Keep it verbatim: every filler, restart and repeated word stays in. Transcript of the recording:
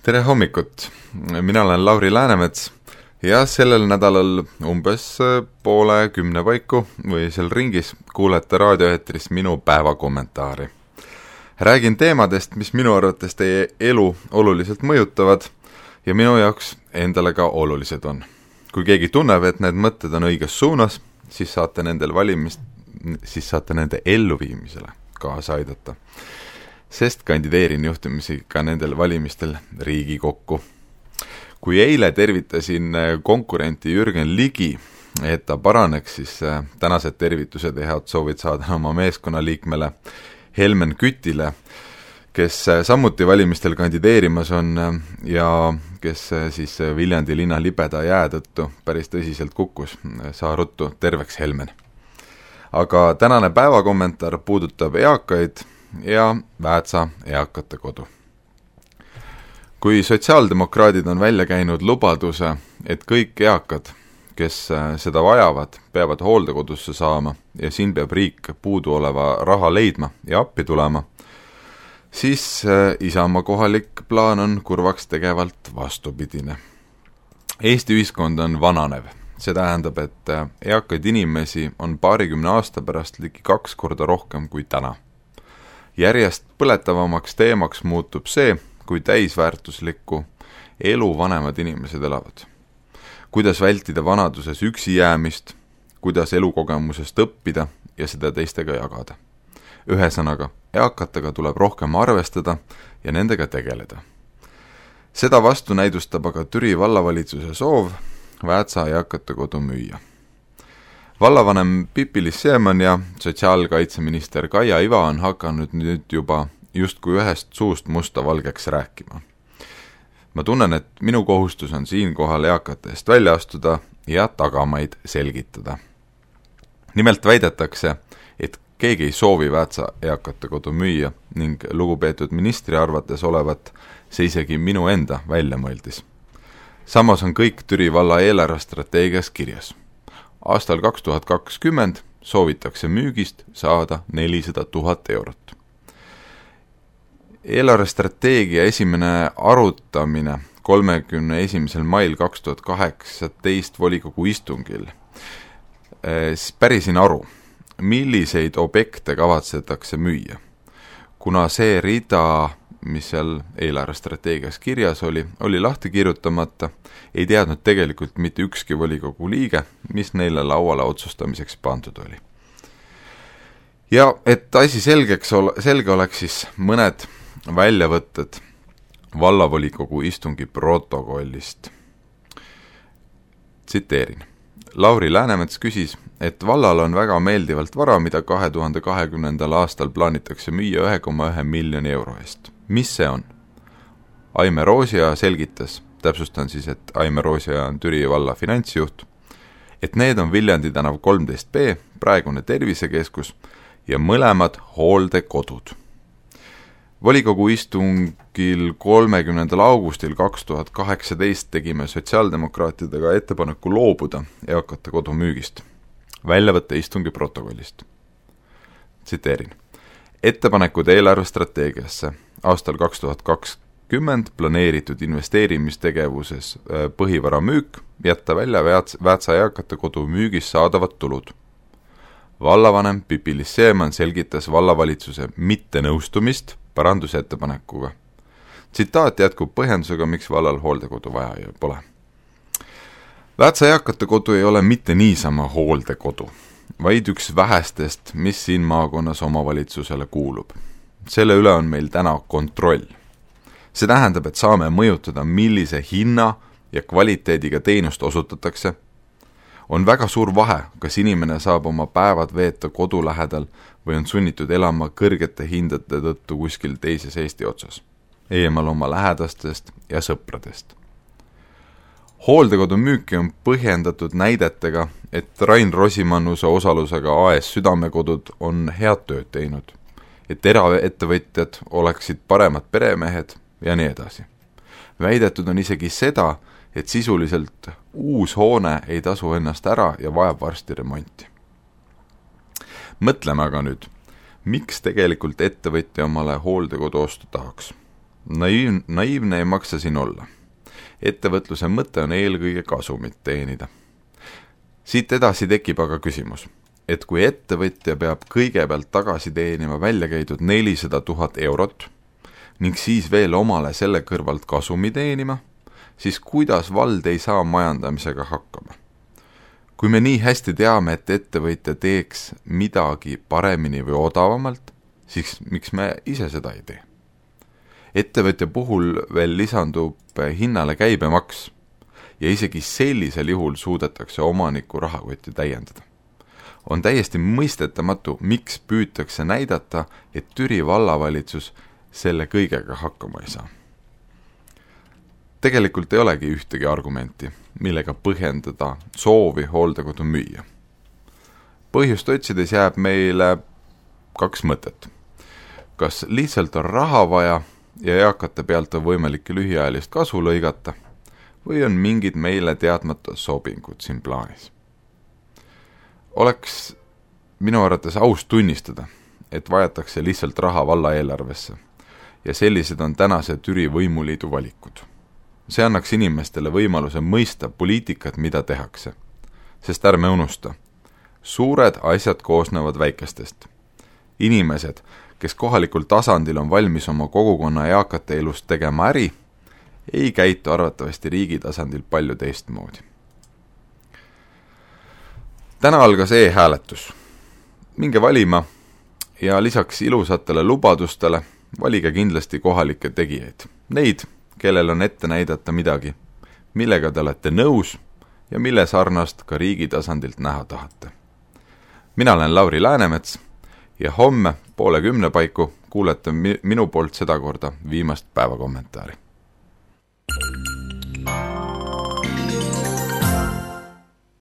tere hommikut, mina olen Lauri Läänemets ja sellel nädalal umbes poole kümne paiku või seal ringis kuulete raadioeetris minu päevakommentaari. Räägin teemadest, mis minu arvates teie elu oluliselt mõjutavad ja minu jaoks endale ka olulised on. Kui keegi tunneb, et need mõtted on õiges suunas, siis saate, nendel valimist, siis saate nende elluviimisele kaasa aidata. Sest kandideerin juhtumisi ka nendel valimistel Riigikokku. Kui eile tervitasin konkurenti Jürgen Ligi, et ta paraneks, siis tänased tervitused ja head soovid saada oma meeskonnaliikmele Helmen Kütile, kes samuti valimistel kandideerimas on ja kes siis Viljandi linna libeda jää tõttu päris tõsiselt kukkus. Saa ruttu, terveks Helmen. Aga tänane päevakommentaar puudutab eakaid ja Väätsa eakate kodu. Kui sotsiaaldemokraadid on välja käinud lubaduse, et kõik eakad, kes seda vajavad, peavad hooldekodusse saama ja siin peab riik puudu oleva raha leidma ja appi tulema, siis Isamaa kohalik plaan on kurvaks tegevalt vastupidine. Eesti ühiskond on vananev. See tähendab, et eakaid inimesi on paarikümne aasta pärast ligi kaks korda rohkem kui täna. Järjest põletavamaks teemaks muutub see, kui täisväärtuslikku elu vanemad inimesed elavad. Kuidas vältida vanaduses üksi jäämist, kuidas elukogemusest õppida ja seda teistega jagada. Ühesõnaga, eakatega tuleb rohkem arvestada ja nendega tegeleda. Seda vastu näidustab aga Türi vallavalitsuse soov Väätsa eakate kodu müüa. Vallavanem Pipi-Liis Siemann ja sotsiaalkaitseminister Kaia Iva on hakanud nüüd juba justkui ühest suust musta valgeks rääkima. Ma tunnen, et minu kohustus on siinkohal eakate eest välja astuda ja tagamaid selgitada. Nimelt väidetakse, et keegi ei soovi Väätsa eakate kodu müüa ning lugupeetud ministri arvates olevat see isegi minu enda välja mõeldis. Samas on kõik Türi valla eelarvestrateegias kirjas. Aastal kaks tuhat kakskümmend soovitakse müügist saada nelisada tuhat eurot. Eelarvestrateegia esimene arutamine kolmekümne esimesel mail kaks tuhat kaheksateist volikogu istungil. Pärisin aru, milliseid objekte kavatsetakse müüa. Kuna see rida, mis seal eelarvestrateegias kirjas oli, oli lahti kirjutamata, ei teadnud tegelikult mitte ükski volikogu liige, mis neile lauale otsustamiseks pandud oli. Ja et asi selgeks ole, selge oleks siis mõned väljavõtted vallavolikogu istungi protokollist. Tsiteerin. Lauri Läänemets küsis, et vallal on väga meeldivalt vara, mida kahe tuhande kahekümnendal aastal plaanitakse müüa ühe koma ühe miljoni euro eest. Mis see on? Aime Roosia selgitas, täpsustan siis, et Aime Roosia on Türi valla finantsjuht, et need on Viljandi tänav kolmteist B, praegune tervisekeskus ja mõlemad hooldekodud. Volikogu istungil kolmekümnendal augustil kaks tuhat kaheksateist tegime sotsiaaldemokraatidega ettepaneku loobuda eakate kodu müügist. Väljavõtte istungi protokollist. Tsiteerin. Ettepanekud eelarvestrateegiasse aastal kaks tuhat kakskümmend planeeritud investeerimistegevuses põhivara müük, jätta välja Väätsa eakate kodu müügis saadavad tulud. Vallavanem Pipi-Liis Siemann selgitas vallavalitsuse mittenõustumist parandusettepanekuga. Tsitaat jätkub põhjendusega, miks vallal hooldekodu vaja pole. Väätsa eakate kodu ei ole mitte niisama hooldekodu, vaid üks vähestest, mis siin maakonnas omavalitsusele kuulub. Selle üle on meil täna kontroll. See tähendab, et saame mõjutada, millise hinna ja kvaliteediga teenust osutatakse. On väga suur vahe, kas inimene saab oma päevad veeta kodu lähedal või on sunnitud elama kõrgete hindade tõttu kuskil teises Eesti otsas, eemal oma lähedastest ja sõpradest. Hooldekodu müüki on põhjendatud näidetega, et Rain Rosimannuse osalusega A S Südamekodud on head tööd teinud, et eraettevõtjad oleksid paremad peremehed ja nii edasi. Väidetud on isegi seda, et sisuliselt uus hoone ei tasu ennast ära ja vajab varsti remonti. Mõtleme aga nüüd, miks tegelikult ettevõtja omale hooldekodu ostu tahaks. Naiiv, naiivne ei maksa siin olla. Ettevõtluse mõte on eelkõige kasumit teenida. Siit edasi tekib aga küsimus, et kui ettevõtja peab kõigepealt tagasi teenima välja käidud nelisada tuhat eurot ning siis veel omale selle kõrvalt kasumi teenima, siis kuidas vald ei saa majandamisega hakkama? Kui me nii hästi teame, et ettevõtja teeks midagi paremini või odavamalt, siis miks me ise seda ei tee? Ettevõtja puhul veel lisandub hinnale käibemaks ja isegi sellisel juhul suudetakse omaniku rahakotti täiendada. On täiesti mõistetamatu, miks püütakse näidata, et Türi vallavalitsus selle kõigega hakkama ei saa. Tegelikult ei olegi ühtegi argumenti, millega põhjendada soovi hooldekodu müüa. Põhjust otsides jääb meile kaks mõtet. Kas lihtsalt on raha vaja ja eakate pealt on võimalik lühiajalist kasu lõigata või on mingid meile teadmata sobingud siin plaanis? Oleks minu arvates aus tunnistada, et vajatakse lihtsalt raha valla eelarvesse ja sellised on tänase Türi võimuliidu valikud. See annaks inimestele võimaluse mõista poliitikat, mida tehakse, sest ärme unusta, suured asjad koosnevad väikestest. Inimesed, kes kohalikul tasandil on valmis oma kogukonna eakate elust tegema äri, ei käitu arvatavasti riigi tasandil palju teistmoodi. Täna algas e-hääletus. Minge valima ja lisaks ilusatele lubadustele valige kindlasti kohalikke tegijaid. Neid, kellel on ette näidata midagi, millega te olete nõus ja mille sarnast ka riigi tasandilt näha tahate. Mina olen Lauri Läänemets ja homme poole kümne paiku kuulete minu poolt sedakorda viimast päevakommentaari.